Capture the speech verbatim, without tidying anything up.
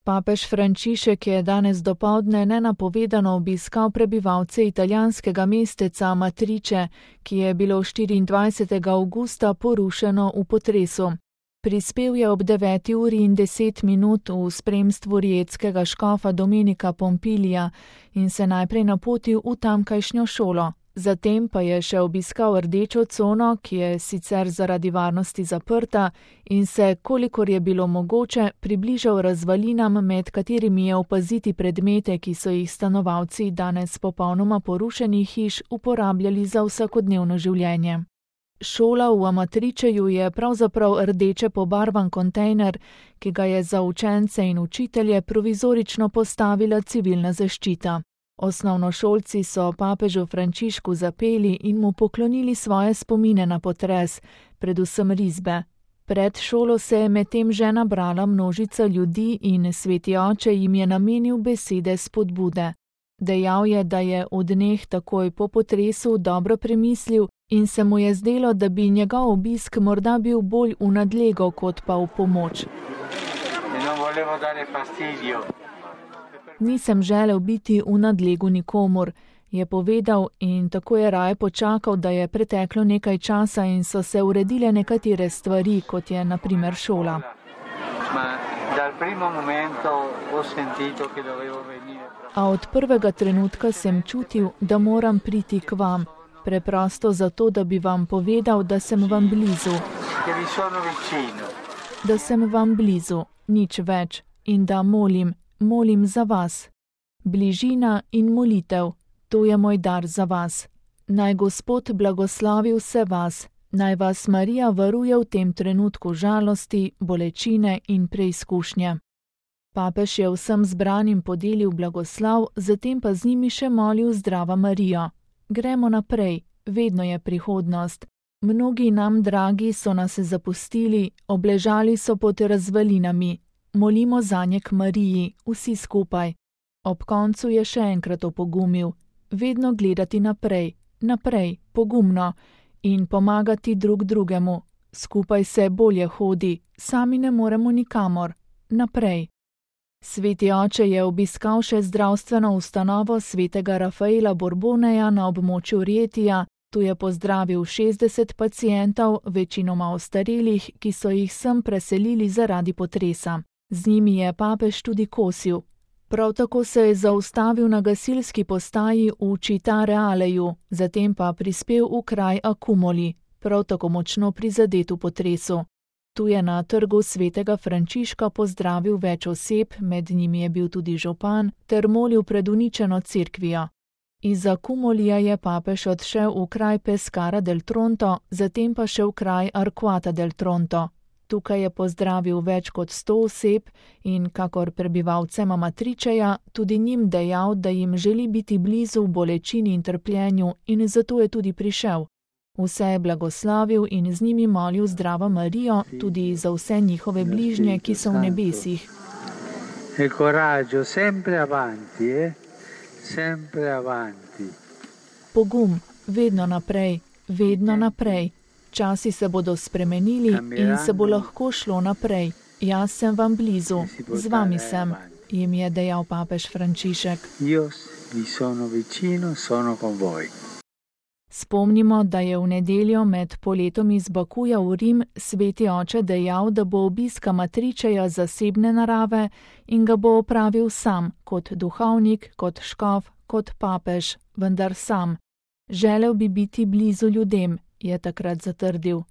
Papež Frančišek je danes dopoldne nenapovedano obiskal prebivalce italijanskega mesteca Amatrice, ki je bilo štiriindvajsetega avgusta porušeno v potresu. Prispel je ob deveti uri in deset minut v spremstvu rijetskega škofa Domenika Pompilija in se najprej napotil v tamkajšnjo šolo. Zatem pa je še obiskal rdečo cono, ki je sicer zaradi varnosti zaprta, in se, kolikor je bilo mogoče, približal razvalinam, med katerimi je opaziti predmete, ki so jih stanovalci danes popolnoma porušenih hiš uporabljali za vsakodnevno življenje. Šola v Amatričeju je pravzaprav rdeče pobarvan kontejner, ki ga je za učence in učitelje provizorično postavila civilna zaščita. Osnovnošolci so papežu Frančišku zapeli in mu poklonili svoje spomine na potres, predvsem risbe. Pred šolo se je medtem že nabrala množica ljudi in sveti oče jim je namenil besede spodbude. Dejal je, da je v dneh takoj po potresu dobro premislil in se mu je zdelo, da bi njegov obisk morda bil bolj v nadlego kot pa v pomoč. Nisem želel biti v nadlegu nikomur, je povedal, in tako je raje počakal, da je preteklo nekaj časa in so se uredile nekatere stvari, kot je na primer šola. A od prvega trenutka sem čutil, da moram priti k vam, preprosto zato, da bi vam povedal, da sem vam blizu. Da sem vam blizu, nič več, in da molim, molim za vas. Bližina in molitev, to je moj dar za vas. Naj Gospod blagoslovi vse vas, naj vas Marija varuje v tem trenutku žalosti, bolečine in preizkušnje. Papež je vsem zbranim podelil blagoslov, zatem pa z njimi še molil Zdrava Marijo. Gremo naprej, vedno je prihodnost. Mnogi nam dragi so nas zapustili, obležali so pod razvalinami. Molimo zanje k Mariji, vsi skupaj. Ob koncu je še enkrat opogumil. Vedno gledati naprej, naprej, pogumno in pomagati drug drugemu. Skupaj se bolje hodi, sami ne moremo nikamor. Naprej. Sveti oče je obiskal še zdravstveno ustanovo svetega Rafaela Borboneja na območju Rietija. Tu je pozdravil šestdeset pacientov, večinoma ostarelih, ki so jih sem preselili zaradi potresa. Z njimi je papež tudi kosil. Prav tako se je zaustavil na gasilski postaji v Città Realeju, zatem pa prispel v kraj Accumoli, prav tako močno prizadet v potresu. Tu je na trgu svetega Frančiška pozdravil več oseb, med njimi je bil tudi župan, ter molil pred uničeno cerkvijo. Iz Accumolija je papež odšel v kraj Pescara del Tronto, zatem pa še v kraj Arquata del Tronto. Tukaj je pozdravil več kot sto oseb in, kakor prebivalcem Amatričeja, tudi njim dejal, da jim želi biti blizu v bolečini in trpljenju in zato je tudi prišel. Vse je blagoslavil in z njimi molil Zdravo Marijo, tudi za vse njihove bližnje, ki so v nebesih. E coraggio, sempre avanti, eh? Sempre avanti. Pogum, vedno naprej, vedno naprej. Časi se bodo spremenili in se bo lahko šlo naprej. Jaz sem vam blizu, z vami sem, jim je dejal papež Frančišek. Spomnimo, da je v nedeljo med poletom iz Bakuja v Rim sveti oče dejal, da bo obisk Amatričeja zasebne narave in ga bo opravil sam, kot duhovnik, kot škof, kot papež, vendar sam. Želel bi biti blizu ljudem, je takrat zatrdil.